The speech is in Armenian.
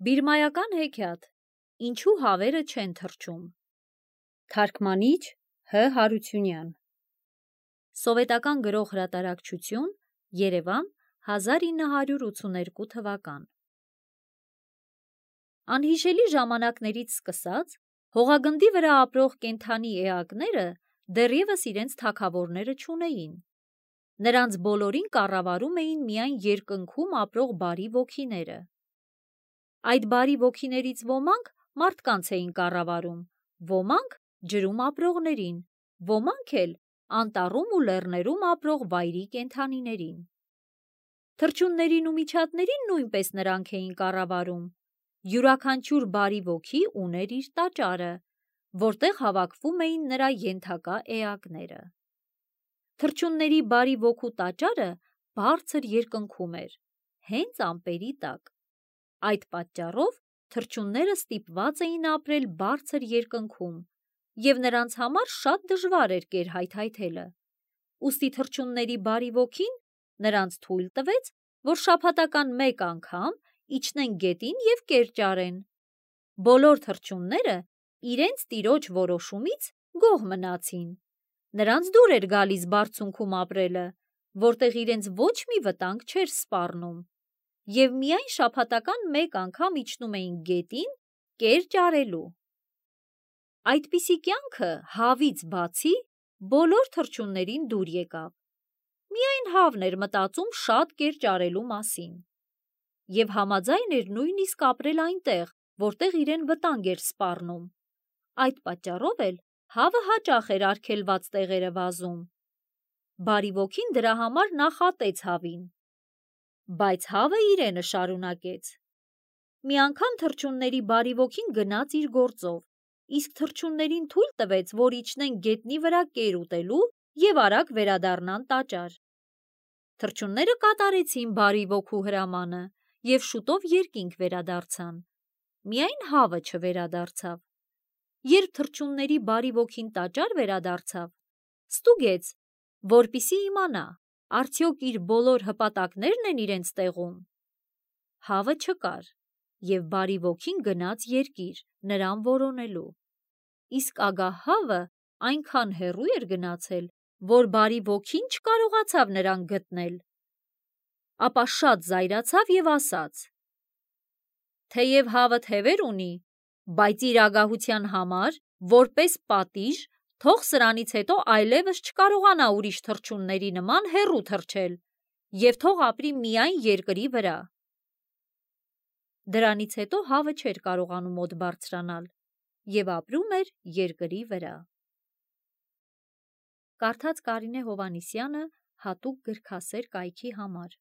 Բիրմայական հեքիաթ. Ինչու հավերը չեն թռչում։ Թարգմանիչ Հ. Հարությունյան։ Սովետական գրող հրատարակչություն, Երևան, 1982 թվական։ Անհիշելի ժամանակներից սկսած, հողագնդի վրա ապրող կենդանի էակները դեռևս իրենց թագավորները չունեին։ Նրանց բոլորին կառավարում էին միայն երկնքում ապրող բարի ոգիները։ Այդ բարի ոգիներից ոմանք մարդկանց էին կառավարում, ոմանք ջրում ապրողներին, ոմանք էլ անտառում ու լեռներում ապրող վայրի կենդանիներին։ Թռչուններին ու միջատներին նույնպես նրանք էին կառավարում։ Յուրաքանչյուր բարի ոգի ուներ իր տաճարը, որտեղ հավաքվում էին նրա ենթակա էակները։ Թռչունների բարի ոգու տաճարը բարձր երկնքում էր, հենց ամպերի տակ։ Այդ պատճառով թռչունները ստիպված էին ապրել բարձր երկնքում, և նրանց համար շատ դժվար էր կերհայթայթելը։ Ուստի թռչունների բարի ոգին նրանց թույլ տվեց, որ շաբաթական մեկ անգամ իջնեն գետին և կեր ճարեն։ Բոլոր թռչունները իրենց տիրոջ որոշումից գոհ մնացին։ Նրանց դուր էր գալիս բարձունքում ապրելը, որտեղ իրենց ոչ մի վտանգ չէր սպառնում, և միայն շաբաթական մեկ անգամ իջնում էին գետին կեր ճարելու։ Այդպիսի կյանքը հավից բացի բոլոր թռչուններին դուր եկավ։ Միայն հավն էր մտածում շատ կեր ճարելու մասին և համաձայն էր նույնիսկ ապրել այնտեղ, որտեղ իրեն վտանգ էր սպառնում։ Այդ պատճառով էլ հավը հաճախ էր արգելված տեղերը վազում։ Բարի ոգին դրա համար նախատեց հավին, բայց հավը իրենը շարունակեց։ Մի անգամ թռչունների բարի ոգին գնաց իր գործով, իսկ թռչուններին թույլ տվեց, որ իջնեն գետնի վրա կեր ուտելու և արագ վերադառնան տաճար։ Թռչունները կատարեցին բարի ոգու հրամանը և շուտով երկինք վերադարձան։ Միայն հավը չվերադարձավ։ Երբ թռչունների բարի ոգին տաճար վերադարձավ, ստուգեց, որպեսզի իմանա, արդյոք իր բոլոր հպատակներն են իրենց տեղում։ Հավը չկար, և բարի ոգին գնաց երկիր, նրան որոնելու։ Իսկ ագահ հավը այնքան հեռու էր գնացել, որ բարի ոգին չկարողացավ նրան գտնել։ Ապա շատ զայրացավ և ասաց. «Թեև հավը թևեր ունի, բայց իր ագահության համար, որպես պատիժ, թող սրանից հետո այլևս չկարողանա ուրիշ թռչունների նման հեռու թռչել և թող ապրի միայն երկրի վրա»։ Դրանից հետո հավը չէր կարողանում օդ բարձրանալ և ապրում էր երկրի վրա։ Կարդաց Կարինե Հովհաննիսյանը հատուկ գրքասեր կայքի համար։